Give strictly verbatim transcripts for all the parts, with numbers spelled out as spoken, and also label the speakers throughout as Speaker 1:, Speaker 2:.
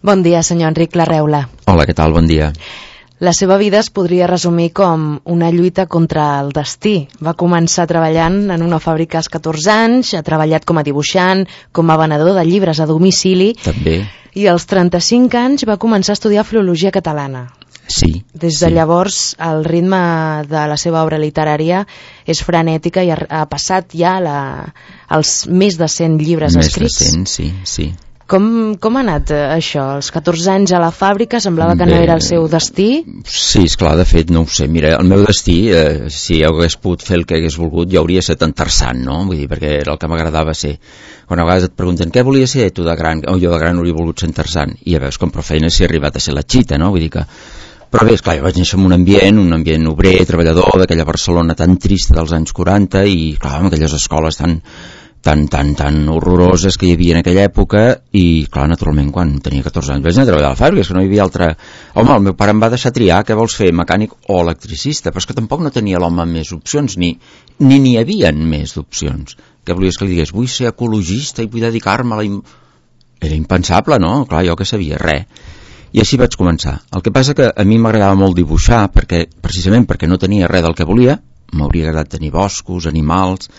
Speaker 1: Bon dia, senyor Enric Larreula.
Speaker 2: Hola, què tal? Bon dia.
Speaker 1: La seva vida es podria resumir com una lluita contra el destí. Va començar treballant en una fàbrica als catorze anys, ha treballat com a dibuixant, com a venedor de llibres a domicili.
Speaker 2: També.
Speaker 1: I als trenta-cinc anys va començar a estudiar filologia catalana.
Speaker 2: Sí.
Speaker 1: Des de
Speaker 2: sí.
Speaker 1: llavors, el ritme de la seva obra literària és frenètica i ha, ha passat ja la, els més de cent llibres
Speaker 2: més
Speaker 1: escrits.
Speaker 2: Més de cent, sí, sí.
Speaker 1: Com, com ha anat això? Als catorze anys a la fàbrica semblava que
Speaker 2: Bé,
Speaker 1: no era el seu destí?
Speaker 2: Sí, esclar, de fet, no ho sé. Mira, el meu destí, eh, si hagués pogut fer el que hagués volgut, jo hauria estat interessant, no? Vull dir, perquè era el que m'agradava ser. Quan a vegades et pregunten què volia ser tu de gran, o jo de gran hauria volgut ser interessant, i ja veus com prou feina s'hi ha arribat a ser la xita, no? Vull dir que... Però bé, esclar, jo vaig néixer en un ambient, un ambient obrer, treballador, d'aquella Barcelona tan trista dels anys quaranta, i clar, amb aquelles escoles tan... tan, tan, tan horroroses que hi havia en aquella època, i clar, naturalment quan tenia catorze anys vaig anar a treballar a la fàbrica, és que no hi havia altra... Home, el meu pare em va deixar triar què vols fer, mecànic o electricista, però és que tampoc no tenia l'home més opcions, ni ni n'hi havia més opcions. Què volies que li digués? Vull ser ecologista i vull dedicar-me a la... Era impensable, no? Clar, jo que sabia, res. I així vaig començar. El que passa que a mi m'agradava molt dibuixar, perquè precisament perquè no tenia res del que volia, m'hauria agradat tenir boscos, animals...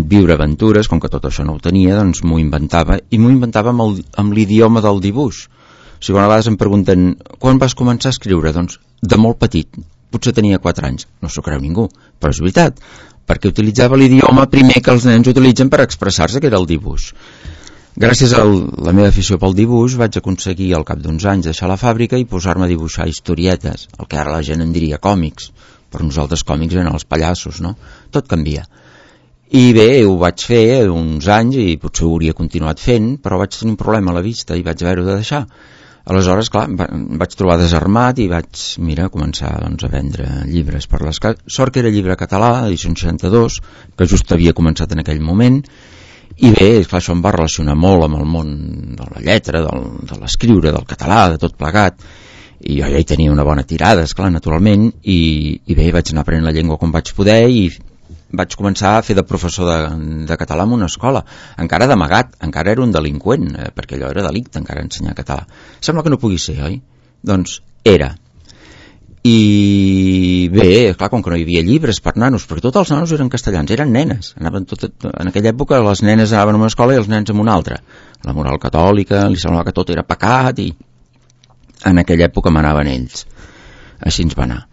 Speaker 2: viure aventures, com que tot això no ho tenia, doncs m'ho inventava, i m'ho inventava amb, el, amb l'idioma del dibuix. O sigui, a vegades em pregunten quan vas començar a escriure? Doncs de molt petit, potser tenia quatre anys, no s'ho creu ningú, però és veritat, perquè utilitzava l'idioma primer que els nens utilitzen per expressar-se, que era el dibuix. Gràcies a la meva afició pel dibuix vaig aconseguir al cap d'uns anys deixar la fàbrica i posar-me a dibuixar historietes, el que ara la gent en diria còmics, per nosaltres còmics eren els pallassos, no? Tot canvia. I bé, ho vaig fer uns anys i potser ho hauria continuat fent, però vaig tenir un problema a la vista i vaig haver-ho de deixar. Aleshores, clar, vaig trobar desarmat i vaig, mira, començar doncs, a vendre llibres per les cases. Sort que era llibre català, edició seixanta-dos, que just havia començat en aquell moment, i bé, clar, això em va relacionar molt amb el món de la lletra, del, de l'escriure, del català, de tot plegat, i jo ja hi tenia una bona tirada, esclar, naturalment, i, i bé, vaig anar aprenent la llengua com vaig poder i vaig començar a fer de professor de, de català en una escola, encara d'amagat, encara era un delinqüent, eh, perquè allò era delicte, encara ensenyar català. Sembla que no pugui ser, oi? Doncs era. I bé, clar, com que no hi havia llibres per nanos, perquè tots els nanos eren castellans, eren nenes. Anaven tot, en aquella època les nenes anaven a una escola i els nens en una altra. La moral catòlica, li semblava que tot era pecat, i en aquella època manaven ells. Així ens va anar.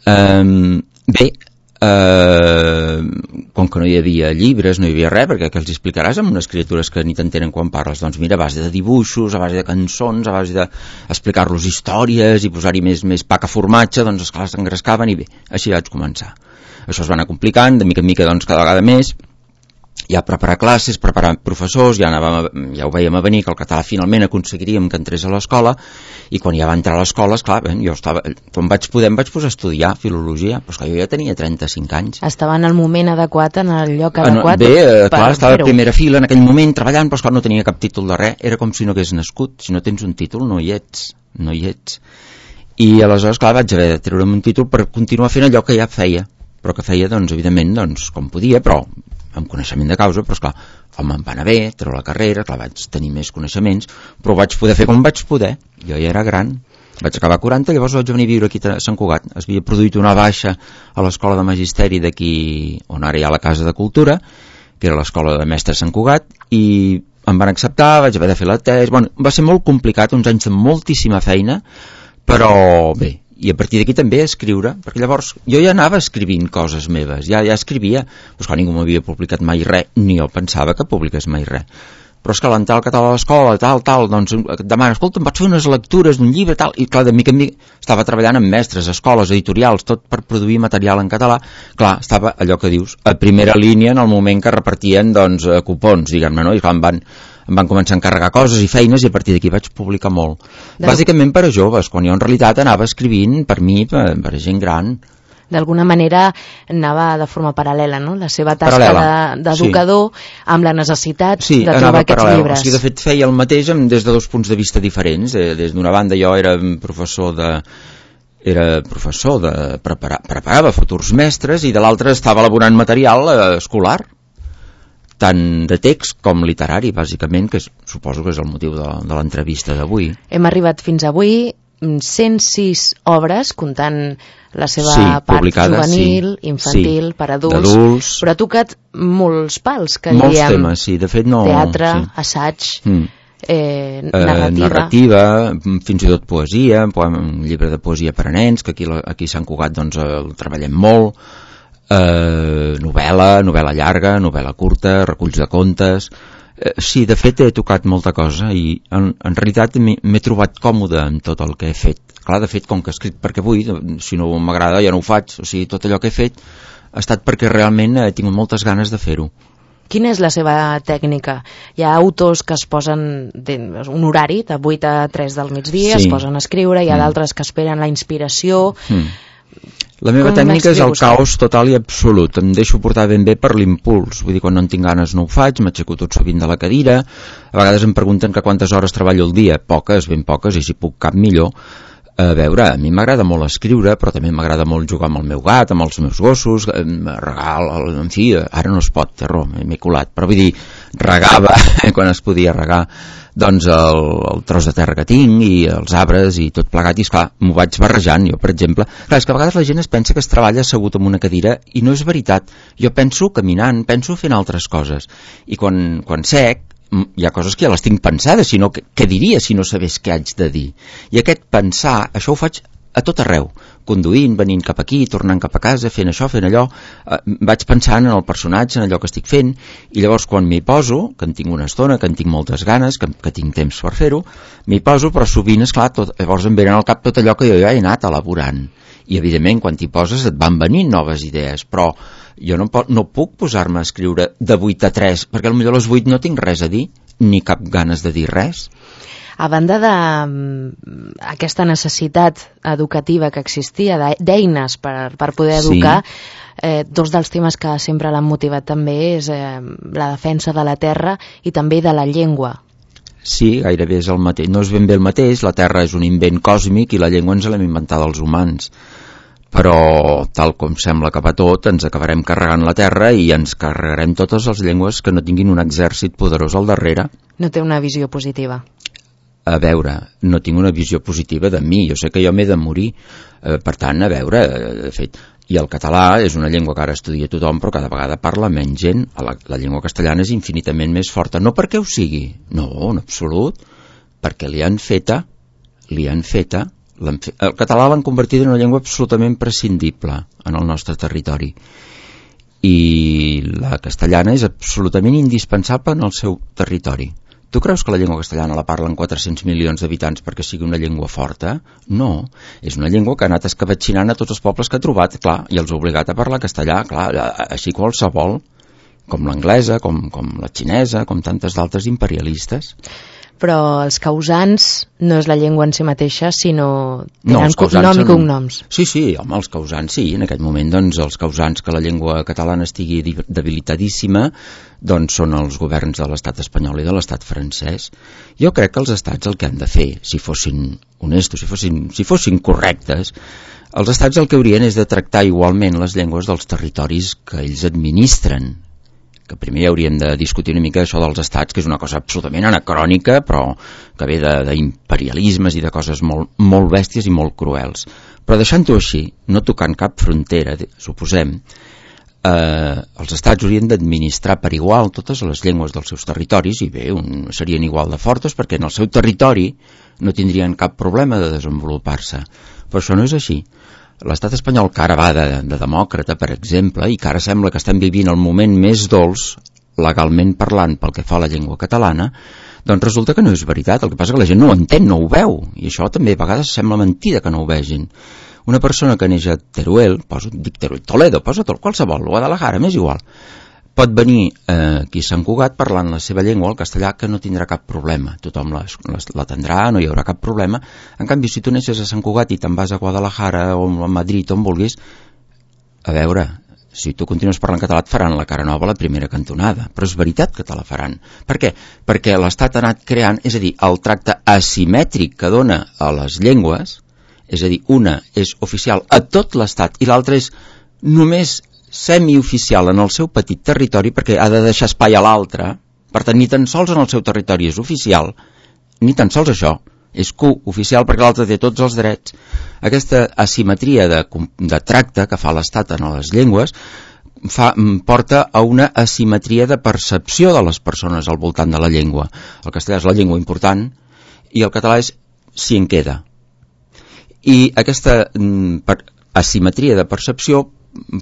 Speaker 2: Um, bé, Uh, com que no hi havia llibres, no hi havia res, perquè què els explicaràs amb unes criatures que ni t'entenen quan parles? Doncs mira, a base de dibuixos, a base de cançons, a base d'explicar-los històries i posar-hi més, més pa que formatge, doncs esclar, s'engrescaven i bé, així vaig començar. Això es va anar complicant, de mica en mica doncs cada vegada més, ja preparar classes, preparar professors, ja, anàvem, ja ho vèiem a venir que el català finalment aconseguiríem que entrés a l'escola, i quan ja va entrar a l'escola, esclar, bé, jo estava, quan vaig poder em vaig posar a estudiar filologia, però esclar, jo ja tenia trenta-cinc anys.
Speaker 1: Estava en el moment adequat, en el lloc adequat.
Speaker 2: Bé, eh, clar, estava a primera fila en aquell moment treballant, però esclar, no tenia cap títol de res, era com si no hagués nascut, si no tens un títol no hi ets, no hi ets. I aleshores, clar, vaig haver de treure'm un títol per continuar fent allò que ja feia, però que feia, doncs, evidentment, doncs, com podia, però amb coneixement de causa, però esclar, com em va anar bé, treure la carrera, clar, vaig tenir més coneixements, però ho vaig poder fer com vaig poder. Jo ja era gran, vaig acabar a quaranta, llavors vaig venir a viure aquí a Sant Cugat. Es havia produït una baixa a l'escola de magisteri d'aquí, on ara hi ha la Casa de Cultura, que era l'escola de mestres Sant Cugat, i em van acceptar, vaig haver de fer la tesi, bueno, va ser molt complicat, uns anys de moltíssima feina, però bé, i a partir d'aquí també escriure, perquè llavors jo ja anava escrivint coses meves, ja, ja escrivia, però esclar, ningú m'havia publicat mai res, ni jo pensava que publiqués mai res, però és que l'entrar al català a l'escola, tal, tal, doncs et demana, escolta, em pots fer unes lectures d'un llibre, tal, i clar, de mica en mica estava treballant amb mestres, escoles, editorials, tot per produir material en català, clar, estava allò que dius, a primera línia en el moment que repartien, doncs, cupons, diguem-ne, no? I clar, em van, em van començar a encarregar coses i feines i a partir d'aquí vaig publicar molt. De... Bàsicament per a joves, quan jo en realitat anava escrivint per mi, per, per a gent gran.
Speaker 1: D'alguna manera anava de forma paral·lela, no? La seva tasca d'educador de, sí. amb la necessitat
Speaker 2: sí,
Speaker 1: de trobar aquests
Speaker 2: paral·lel.
Speaker 1: llibres.
Speaker 2: O sigui, de fet feia el mateix des de dos punts de vista diferents. Des d'una banda jo era professor de era professor de preparar, preparava futurs mestres i de l'altra estava elaborant material eh, escolar. tant de text com literari, bàsicament, que és, suposo que és el motiu de, de l'entrevista d'avui.
Speaker 1: Hem arribat fins avui cent sis obres, comptant la seva
Speaker 2: sí,
Speaker 1: part juvenil, sí, infantil,
Speaker 2: sí,
Speaker 1: per adults,
Speaker 2: adults,
Speaker 1: però ha tocat molts pals, que
Speaker 2: molts
Speaker 1: diríem.
Speaker 2: Temes, sí, de fet no...
Speaker 1: Teatre,
Speaker 2: sí.
Speaker 1: assaig,
Speaker 2: mm.
Speaker 1: eh, narrativa.
Speaker 2: Eh, narrativa, fins i tot poesia, un llibre de poesia per a nens, que aquí, aquí a Sant Cugat doncs, el treballem molt, eh, novel·la, novel·la llarga, novel·la curta, reculls de contes... Sí, de fet he tocat molta cosa i en, en realitat m'he trobat còmode amb tot el que he fet. Clar, de fet, com que he escrit perquè vull, si no m'agrada ja no ho faig. O sigui, tot allò que he fet ha estat perquè realment he tingut moltes ganes de fer-ho.
Speaker 1: Quina és la seva tècnica? Hi ha autors que es posen un horari de vuit a tres del migdia, sí. es posen a escriure, hi ha mm. d'altres que esperen la inspiració... Mm.
Speaker 2: La meva Com tècnica és el caos total i absolut. Em deixo portar ben bé per l'impuls. Vull dir, quan no en tinc ganes no ho faig, m'aixeco tot sovint de la cadira. A vegades em pregunten que quantes hores treballo al dia. Poques, ben poques, i si puc cap millor. A veure, a mi m'agrada molt escriure, però també m'agrada molt jugar amb el meu gat, amb els meus gossos, regar, en fi, ara no es pot, terror, m'he colat, però vull dir, regava quan es podia regar doncs el, el tros de terra que tinc i els arbres i tot plegat, i esclar, m'ho vaig barrejant. Jo, per exemple, clar, és que a vegades la gent es pensa que es treballa assegut en una cadira i no és veritat. Jo penso caminant, penso fent altres coses, i quan, quan sec hi ha coses que ja les tinc pensades, sinó que, què diria si no sabés què haig de dir? I aquest pensar, això ho faig a tot arreu, conduint, venint cap aquí, tornant cap a casa, fent això, fent allò, eh, vaig pensant en el personatge, en allò que estic fent, i llavors quan m'hi poso, que en tinc una estona, que en tinc moltes ganes, que, que tinc temps per fer-ho, m'hi poso, però sovint, esclar, tot, llavors em venen al cap tot allò que jo ja he anat elaborant. I evidentment, quan t'hi poses et van venint noves idees, però jo no, no puc posar-me a escriure de vuit a tres, perquè potser a les vuit no tinc res a dir, ni cap ganes de dir res.
Speaker 1: A banda d'aquesta necessitat educativa que existia, d'eines per, per poder educar, sí. eh, dos dels temes que sempre l'han motivat també és eh, la defensa de la terra i també de la llengua.
Speaker 2: Sí, gairebé és el mateix. No és ben bé el mateix, la terra és un invent còsmic i la llengua ens l'hem inventat els humans. Però, tal com sembla que va tot, ens acabarem carregant la terra i ens carregarem totes les llengües que no tinguin un exèrcit poderós al darrere.
Speaker 1: No té una visió positiva.
Speaker 2: A veure, no tinc una visió positiva de mi, jo sé que jo m'he de morir, eh, per tant, a veure, de fet, i el català és una llengua que ara estudia tothom, però cada vegada parla menys gent. La, la llengua castellana és infinitament més forta, no perquè ho sigui, no, en absolut, perquè li han feta, li han feta, fet, el català l'han convertit en una llengua absolutament prescindible en el nostre territori, i la castellana és absolutament indispensable en el seu territori. Tu creus que la llengua castellana la parlen quatre-cents milions d'habitants perquè sigui una llengua forta? No, és una llengua que ha anat escabatxinant a tots els pobles que ha trobat, clar, i els ha obligat a parlar castellà, clar, així qualsevol, com l'anglesa, com, com la xinesa, com tantes d'altres imperialistes.
Speaker 1: Però els causants no és la llengua en si mateixa, sinó tenen no, nom i cognoms.
Speaker 2: Sí, sí, home, els causants sí, en aquest moment doncs els causants que la llengua catalana estigui debilitadíssima doncs són els governs de l'estat espanyol i de l'estat francès. Jo crec que els estats el que han de fer, si fossin honestos, si fossin, si fossin correctes, els estats el que haurien és de tractar igualment les llengües dels territoris que ells administren, que primer hauríem de discutir una mica això dels estats, que és una cosa absolutament anacrònica, però que ve d'imperialismes i de coses molt, molt bèsties i molt cruels. Però deixant-ho així, no tocant cap frontera, suposem, eh, els estats haurien d'administrar per igual totes les llengües dels seus territoris, i bé, un, serien igual de fortes, perquè en el seu territori no tindrien cap problema de desenvolupar-se. Però això no és així. L'estat espanyol, que ara va de, de demòcrata, per exemple, i que ara sembla que estem vivint el moment més dolç, legalment parlant, pel que fa a la llengua catalana, doncs resulta que no és veritat. El que passa que la gent no ho entén, no ho veu, i això també a vegades sembla mentida que no ho vegin. Una persona que neix a Teruel, poso, dic Teruel, Toledo, posa tot, qualsevol, Guadalajara, m'és igual, pot venir eh, aquí a Sant Cugat parlant la seva llengua, el castellà, que no tindrà cap problema. Tothom l'atendrà, no hi haurà cap problema. En canvi, si tu neixes a Sant Cugat i te'n vas a Guadalajara o a Madrid, on vulguis, a veure, si tu continues parlant català et faran la cara nova a la primera cantonada, però és veritat que te la faran. Per què? Perquè l'Estat ha anat creant, és a dir, el tracte asimètric que dona a les llengües, és a dir, una és oficial a tot l'Estat i l'altra és només semioficial en el seu petit territori, perquè ha de deixar espai a l'altre. Per tant, ni tan sols en el seu territori és oficial, ni tan sols això, és cooficial perquè l'altre té tots els drets. Aquesta asimetria de, de tracte que fa l'Estat en les llengües fa, porta a una asimetria de percepció de les persones al voltant de la llengua. El castellà és la llengua important i el català és si en queda. I aquesta per, asimetria de percepció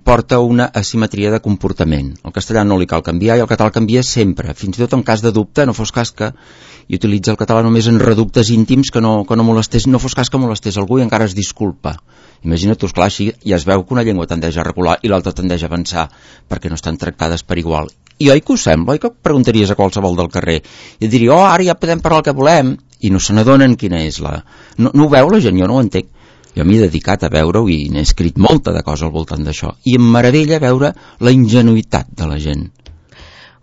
Speaker 2: porta una asimetria de comportament. El castellà no li cal canviar i el català canvia sempre, fins i tot en cas de dubte, no fos cas que i utilitza el català només en reductes íntims que no, que no molestés, no fos cas que molestés algú i encara es disculpa. Imagina't, tu, esclar, així ja es veu que una llengua tendeix a recular i l'altra tendeix a avançar perquè no estan tractades per igual. I oi que ho sembla? Oi que preguntaries a qualsevol del carrer i et diria, oh, ara ja podem parlar el que volem, i no se n'adonen quina és la... No, no ho veu la gent? Jo no ho entenc. Jo m'he dedicat a veure-ho i n'he escrit molta de cosa al voltant d'això. I em meravella veure la ingenuïtat de la gent.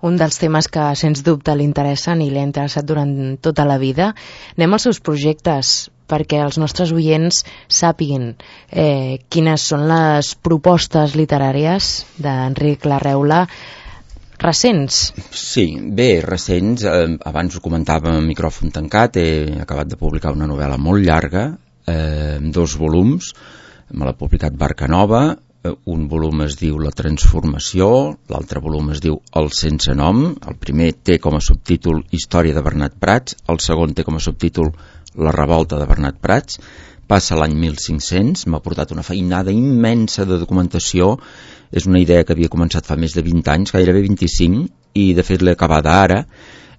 Speaker 1: Un dels temes que, sens dubte, li interessen i li ha interessat durant tota la vida. Anem als seus projectes, perquè els nostres oients sàpiguin eh, quines són les propostes literàries d'Enric Larreula recents.
Speaker 2: Sí, bé, recents. Eh, abans ho comentava en micròfon tancat, he acabat de publicar una novel·la molt llarga, eh, dos volums, me l'ha publicat Barca Nova. Un volum es diu La transformació, l'altre volum es diu El sense nom. El primer té com a subtítol Història de Bernat Prats, el segon té com a subtítol La revolta de Bernat Prats. Passa l'any mil cinc-cents, m'ha portat una feinada immensa de documentació. És una idea que havia començat fa més de vint anys, gairebé vint-i-cinc, i de fet l'he acabada ara.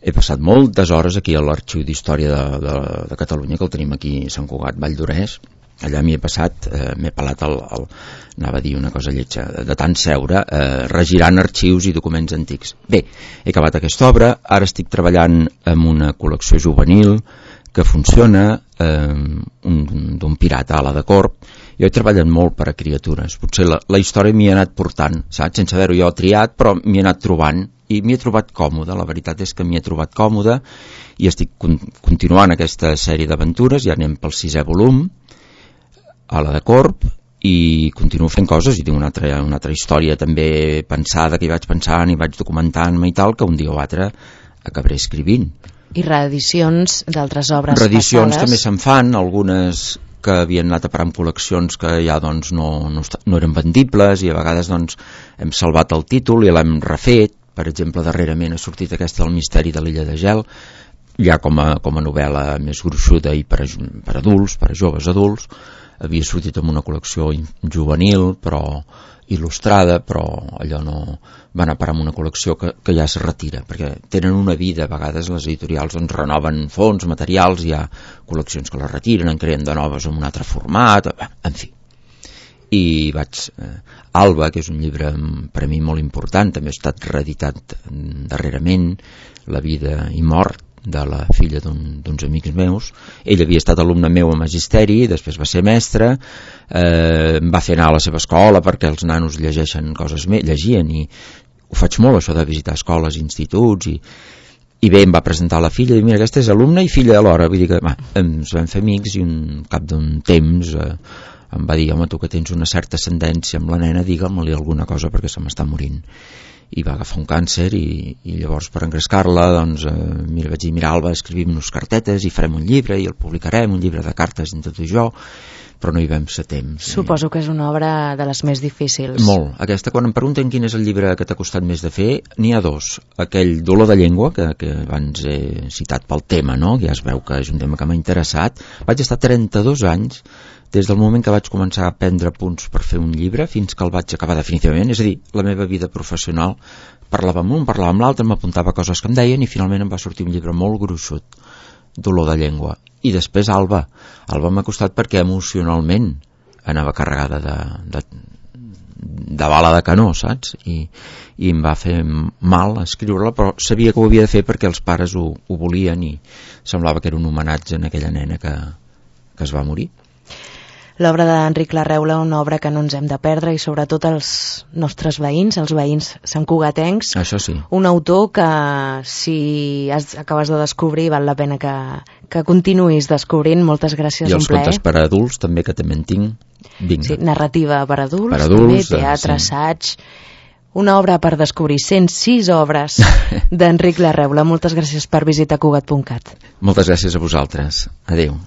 Speaker 2: He passat moltes hores aquí a l'Arxiu d'Història de, de, de Catalunya, que el tenim aquí a Sant Cugat, Vall d'Orès. Allà m'hi he passat, eh, m'he pelat el, el, anava a dir una cosa lletja, de tant seure, eh, regirant arxius i documents antics. Bé, he acabat aquesta obra, ara estic treballant en una col·lecció juvenil que funciona, eh, d'un pirata a la de corp. Jo he treballat molt per a criatures, potser la, la història m'hi ha anat portant, saps? Sense haver-ho jo triat, però m'hi he anat trobant i m'hi he trobat còmode. La veritat és que m'hi he trobat còmode i estic con continuant aquesta sèrie d'aventures, ja anem pel sisè volum, a la de corp, i continuo fent coses i tinc una altra, una altra història també pensada que hi vaig pensant i vaig documentant-me i tal, que un dia o altre acabaré escrivint.
Speaker 1: I reedicions d'altres obres
Speaker 2: reedicions
Speaker 1: passades?
Speaker 2: També se'n fan, algunes que havien anat a parar en col·leccions que ja doncs, no, no, no eren vendibles i a vegades doncs, hem salvat el títol i l'hem refet. Per exemple, darrerament ha sortit aquesta del misteri de l'illa de Gel, ja com a, com a novel·la més gruixuda i per, a, per adults, per a joves adults. Havia sortit en una col·lecció juvenil, però il·lustrada, però allò no va anar a parar en una col·lecció que, que ja es retira, perquè tenen una vida, a vegades les editorials doncs, renoven fons, materials, hi ha col·leccions que les retiren, en creen de noves en un altre format, en fi. I vaig... Eh, Alba, que és un llibre per a mi molt important, també ha estat reeditat darrerament, La vida i mort, de la filla d'uns un, amics meus. Ell havia estat alumne meu a Magisteri, després va ser mestre, eh, em va fer anar a la seva escola perquè els nanos llegeixen coses més, llegien, i ho faig molt això de visitar escoles, instituts, i, i bé, em va presentar la filla i mira, aquesta és alumna i filla alhora, vull dir que va, ens vam fer amics i un cap d'un temps eh, em va dir, home, tu que tens una certa ascendència amb la nena, digue-me-li alguna cosa perquè se m'està morint. I va agafar un càncer i, i llavors per engrescar-la doncs, eh, mira, vaig dir, mira Alba, escrivim-nos cartetes i farem un llibre i el publicarem, un llibre de cartes entre tu i jo, però no hi vam ser temps.
Speaker 1: Suposo que és una obra de les més difícils.
Speaker 2: Molt. Aquesta, quan em pregunten quin és el llibre que t'ha costat més de fer, n'hi ha dos. Aquell Dolor de llengua, que, que abans he citat pel tema, no? Que ja es veu que és un tema que m'ha interessat. Vaig estar trenta-dos anys des del moment que vaig començar a prendre punts per fer un llibre fins que el vaig acabar definitivament, és a dir, la meva vida professional, parlava amb un, parlava amb l'altre, m'apuntava coses que em deien i finalment em va sortir un llibre molt gruixut, Dolor de llengua. I després Alba. Alba m'ha costat perquè emocionalment anava carregada de, de, de bala de canó, saps? I, i em va fer mal escriure-la, però sabia que ho havia de fer perquè els pares ho, ho volien i semblava que era un homenatge a aquella nena que, que es va morir.
Speaker 1: L'obra d'Enric Larreula, una obra que no ens hem de perdre, i sobretot els nostres veïns, els veïns santcugatencs.
Speaker 2: Això sí.
Speaker 1: Un autor que, si has, acabes de descobrir, val la pena que, que continuïs descobrint. Moltes gràcies,
Speaker 2: I
Speaker 1: un
Speaker 2: els
Speaker 1: plaer.
Speaker 2: contes per a adults també, que també en tinc. Vinga.
Speaker 1: Sí, narrativa per adults,
Speaker 2: per adults
Speaker 1: també, teatre,
Speaker 2: sí.
Speaker 1: assaig... Una obra per descobrir, cent sis obres d'Enric Larreula. Moltes gràcies per visitar Cugat punt cat.
Speaker 2: Moltes gràcies a vosaltres. Adéu.